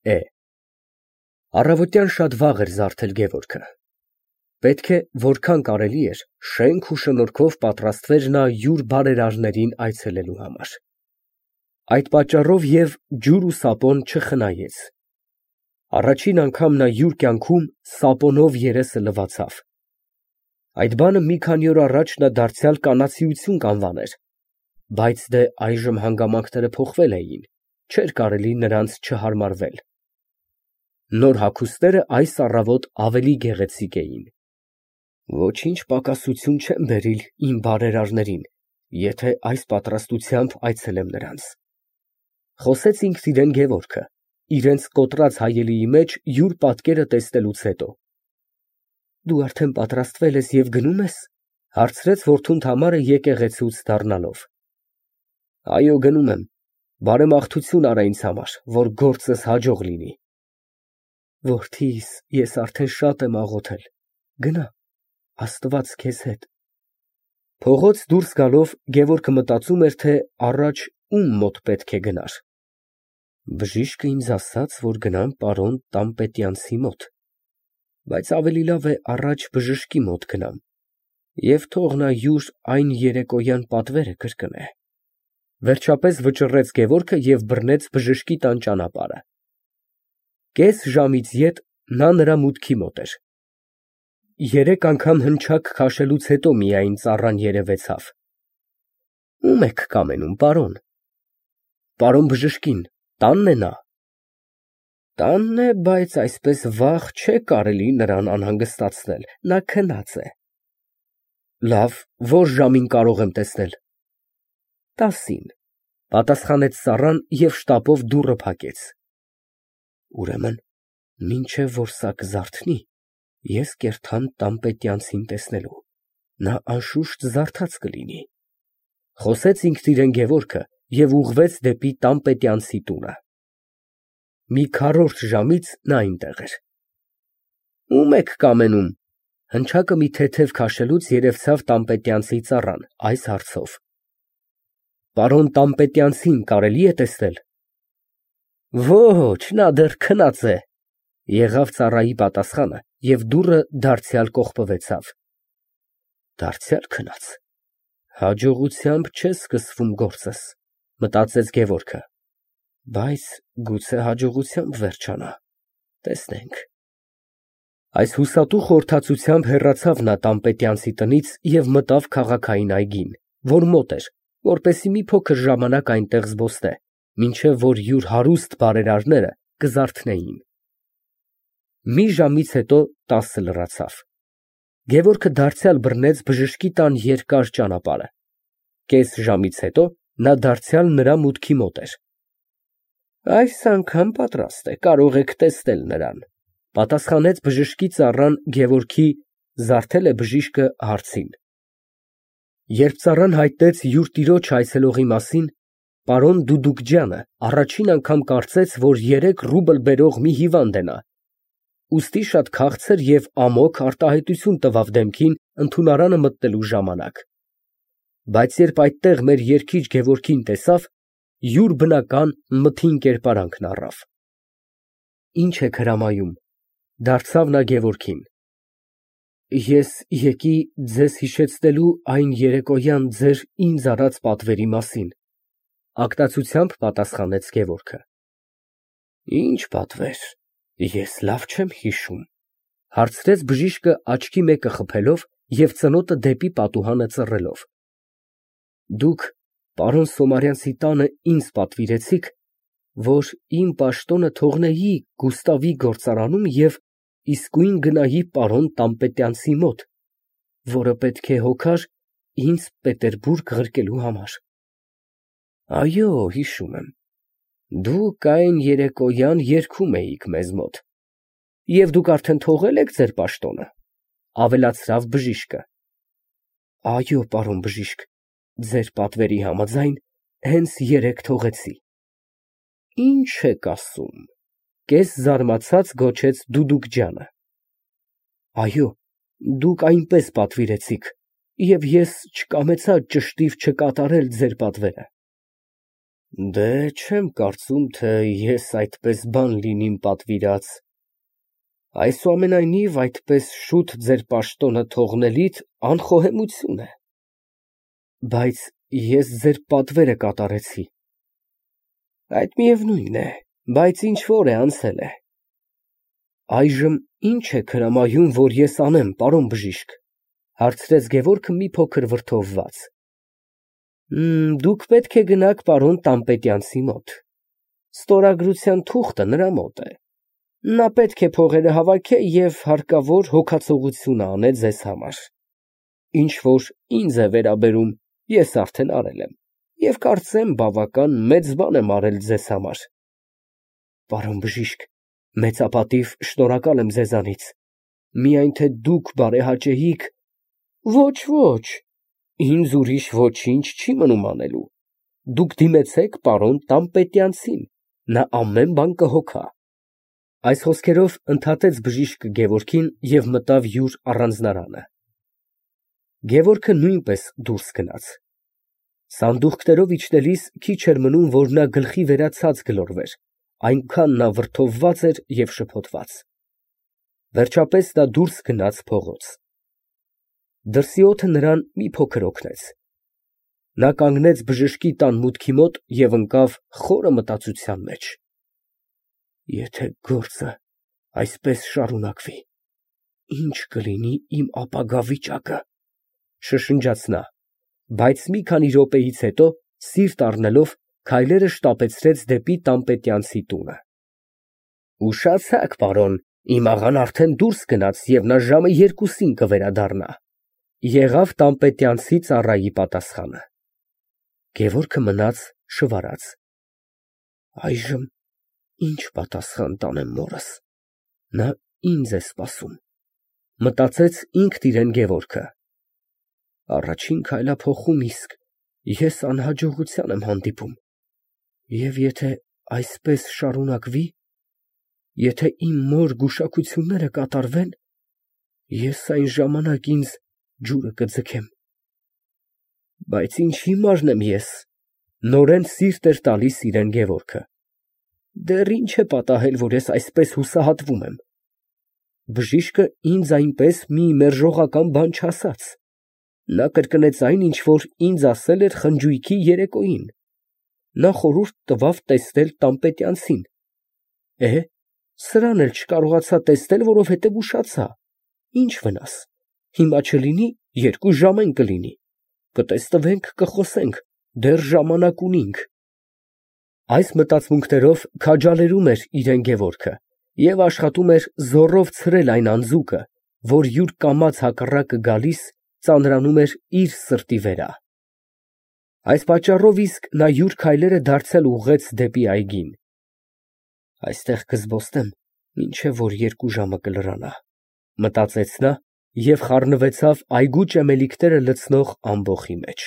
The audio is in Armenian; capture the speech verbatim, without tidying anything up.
Է։ Առավոտյան շատ վաղ էր զարթել Գևորգը։ Պետք է որքան կարելի էր շենք ու շնորհքով պատրաստվեր նա յուր բարերարներին այցելելու համար։ Այդ պատճառով և ջուր ու սապոն չխնայեց։ Առաջին անգամ նա յուր կյանքում սապոնով երեսը լվացավ։ Այդ բանը մի քանի օր առաջ նա դարձյալ կանացիություն կանվաներ, բայց դե այժմ հանգամանքները փոխվել էին, չէր կարելի նրանց չհարմարվել։ Նոր հագուստները այս առավոտ ավելի գեղեցիկ էին։ Ոչինչ պակասություն չեմ բերիլ իմ բարերարներին, եթե այս պատրաստությամբ այցելեմ նրանց, խոսեց ինքն իրան Գևորգը, իրենց կոտրած հայելիի մեջ յուր պատկերը տեսնելուց հետո։ Դու արդեն պատրաստվել ես և գնո՞ւմ ես, հարցրեց որդուն Թամարը եկեղեցուց դառնալով։ Այո, գնում եմ, բարեմաղթություն արա ինձ համար, որ գործս հաջող լինի։ Որդիս, ես արդեն շատ եմ աղոթել, գնա, Աստված քեզ հետ։ Փողոց դուրս գալով Գևորգը մտածում էր, թե առաջ ում մոտ պետք է գնար։ Բժիշկը ինձ ասաց, որ գնամ պարոն Տան֊Պետյանցի մոտ, բայց ավելի լավ է առաջ բժշկի մոտ գնամ, և թող նա յուր այն երեկոյան պատվերը կրկնե։ Վերջապես վճռեց Գևորգը և բռնեց բժշկի տան ճանապարհը։ Կես ժամից ետ նա նրա մուտքի մոտ էր։ Երեք անգամ հնչակ քաշելուց հետո միայն ծառան երևեցավ։ Ո՞ւմ եք կամենում, պարոն։ Պարոն բժշկին, տանն է նա։ Տանն է, բայց այսպես վաղ չէ կարելի նրան անհանգստացնել, նա քնած է։ Լավ, ո՞ր ժամին կարող եմ տեսնել։ Տասին, պատասխանեց ծառան և շտապով դուռը փակեց։ Ուրեմն մինչև որ սա կզարթնի, ես կերթամ Տան֊Պետյանցին տեսնելու, նա անշուշտ զարթած կլինի, խոսեց ինքն իրան Գևորգը և ուղղվեց դեպի Տան֊Պետյանցի տունը։ Մի քառորդ ժամից նա այնտեղ էր։ Ո՞ւմ եք կամենում, հնչակը մի թեթև քաշելուց երևցավ Տան֊Պետյանցի ծառան, այս հարցով։ Պարոն Տան֊Պետյանցին կարելի է տեսնել։ Ոչ, նա դեռ քնած է, եղավ ծառայի պատասխանը և դուռը դարձյալ կողպվեցավ։ Դարձյալ քնած, հաջողությամբ չէ սկսվում գործս, մտածեց Գևորգը, բայց գուցե հաջողությամբ վերջանա, տեսնենք։ Այս հուսատու խորհրդածությամբ հեռացավ նա Տան֊Պետյանցի տնից և մտավ քաղաքային այգին, որ մոտ էր, որպեսզի մի փոքր ժամանակ այնտեղ զբոսնե, մինչև որ յուր հարուստ բարերարները կզարթնեին։ Մի ժամից հետո տասը լռացավ։ Գևորգը դարձյալ բռնեց բժշկի տան երկար ճանապարհը։ Կես ժամից հետո նա դարձյալ նրա մուտքի մոտ էր։ Այս անգամ պատրաստ է, կարող եք տեսնել նրան, պատասխանեց բժշկի ծառան Գևորգի զարթել է բժիշկը հարցին։ Երբ ծառան հայտնեց յուր տիրոջ այցելողի մասին, պարոն Դուդուկջյանը առաջին անգամ կարծեց, որ երեք ռուբլ բերող մի հիվանդ է նա, ուստի շատ քաղցր և ամոք արտահայտություն տվավ դեմքին ընդունարանը մտնելու ժամանակ, բայց երբ այդտեղ մեր երգիչ Գևորգին տեսավ, յուր բնական մթին կերպարանքն առավ։ Ինչ եք հրամայում, դարձավ նա Գևորգին։ Ես եկի ձեզ հիշեցնելու այն երեկոյան ձեր ինձ արած պատվերի մասին, ակտացությամբ պատասխանեց Գևորգը։ Ինչ պատվեր, ես լավ չեմ հիշում, հարցրեց բժիշկը աչքի մեկը խփելով և ծնոտը դեպի պատուհանը ծռելով։ Դուք պարոն Սոմարյանցի տանը ինձ պատվիրեցիք, որ իմ պաշտոնը թողնեի Գուստավի գործարանում և իսկույն գնայի պարոն Տան֊Պետյանցի մոտ, որը պետք է հոգար ինձ Պետերբուրգ ղրկելու համար։ Այո, հիշում եմ, դուք այն երեկոյան երգում էիք մեզ մոտ, և դուք արդեն թողել եք ձեր պաշտոնը, ավելացրավ բժիշկը։ Այո, պարոն բժիշկ, ձեր պատվերի համաձայն հենց երեկ թողեցի։ Ինչ եք ասում, կես զարմացած գոչեց Դուդուկջյանը։ Այո, դուք այնպես պատվիրեցիք, և ես չկամեցա ճշտիվ չկատարել ձեր պատվերը։ Դե չեմ կարծում, թե ես այդպես բան լինիմ պատվիրած, այսուամենայնիվ այդպես շուտ ձեր պաշտոնը թողնելիդ անխոհեմություն է։ Բայց ես ձեր պատվերը կատարեցի։ Այդ միևնույն է, բայց ինչ-որ է, անցել է։ Այժմ ի՞նչ եք հրամայում, որ ես անեմ, պարոն բժիշկ, հարցրեց Գևորգը մի փոքր վրդովված։ Դուք պետք է գնաք պարոն Տան֊Պետյանցի մոտ, ստորագրության թուղթը նրա մոտ է, նա պետք է փողերը հավաքե և հարկավոր հոգացողությունը անե ձեզ համար, ինչ որ ինձ է վերաբերում, ես արդեն արել եմ և կարծեմ բավական մեծ բան եմ արել ձեզ համար։ Պարոն բժիշկ, մեծապատիվ շնորհակալ եմ ձեզանից, միայն թե դուք բարեհաճեիք։ Ոչ, ոչ, ինձ ուրիշ ոչինչ չի մնում անելու, դուք դիմեցեք պարոն Տան֊Պետյանցին, նա ամեն բան կհոգա։ Այս խոսքերով ընդհատեց բժիշկը Գևորգին և մտավ յուր առանձնարանը։ Գևորգը նույնպես դուրս գնաց։ Սանդուղքներով իջնելիս քիչ էր մնում, որ նա գլխի վերա ցած գլորվեր, այնքան նա վրդովված էր և շփոթված։ Վերջապես նա դուրս գնաց փողոց։ Դրսի օդը նրան մի փոքր օգնեց։ Նա կանգնեց բժշկի տան մուտքի մոտ և ընկավ խորը մտածության մեջ։ Եթե գործը այսպես շարունակվի, ի՞նչ կլինի իմ ապագա վիճակը, շշնջաց նա, բայց մի քանի րոպեից հետո, սիրտ առնելով, քայլերը շտապեցրեց դեպի Տան֊Պետյանցի տունը։ Ուշացաք, պարոն, իմ աղան արդեն դուրս գնաց և նա ժամը երկուսին կվերադառնա, եղավ Տան֊Պետյանցի ծառայի պատասխանը։ Գևորգը մնաց շվարած։ Այժմ ի՞նչ պատասխան տանեմ մորս, նա ինձ է սպասում, մտածեց ինքն իրեն Գևորգը։ Առաջին քայլափոխում իսկ ես անհաջողության եմ հանդիպում, և եթե այսպես շարունակվի, եթե իմ մոր գուշակությունները կատարվեն, ես այն ժամանակ ինձ ջուրը կձգեմ։ Բայց ինչ հիմարն եմ ես, նորեն սիրտ էր տալիս իրան Գևորգը։ Դեռ ինչ է պատահել, որ ես այսպես հուսահատվում եմ։ Բժիշկը ինձ այնպես մի մերժողական բան չասաց, նա կրկնեց այն, ինչ որ ինձ ասել էր խնջույքի երեկոյին, նա խորհուրդ տվավ տեսնել Տան֊Պետյանցին։ Է, սրան էլ չկարողացա տեսնել, որովհետև ուշացա, ինչ վնաս, հիմա չլինի, երկու ժամ են կլինի, կտեսնվենք, կխոսենք, դեռ ժամանակ ունինք։ Այս մտածմունքներով քաջալերում էր իրան Գևորգը և աշխատում էր զոռով ցրել այն անձուկը, որ յուր կամաց հակառակը գալիս ծանրանում էր իր սրտի վերա։ Այս պատճառով իսկ նա յուր քայլերը դարձյալ ուղղեց դեպի այգին։ Այստեղ կզբոսնեմ, մինչև որ երկու ժամը կլրանա, մտածեց նա և խառնվեցավ այգու ճեմելիքները լցնող ամբոխի մեջ։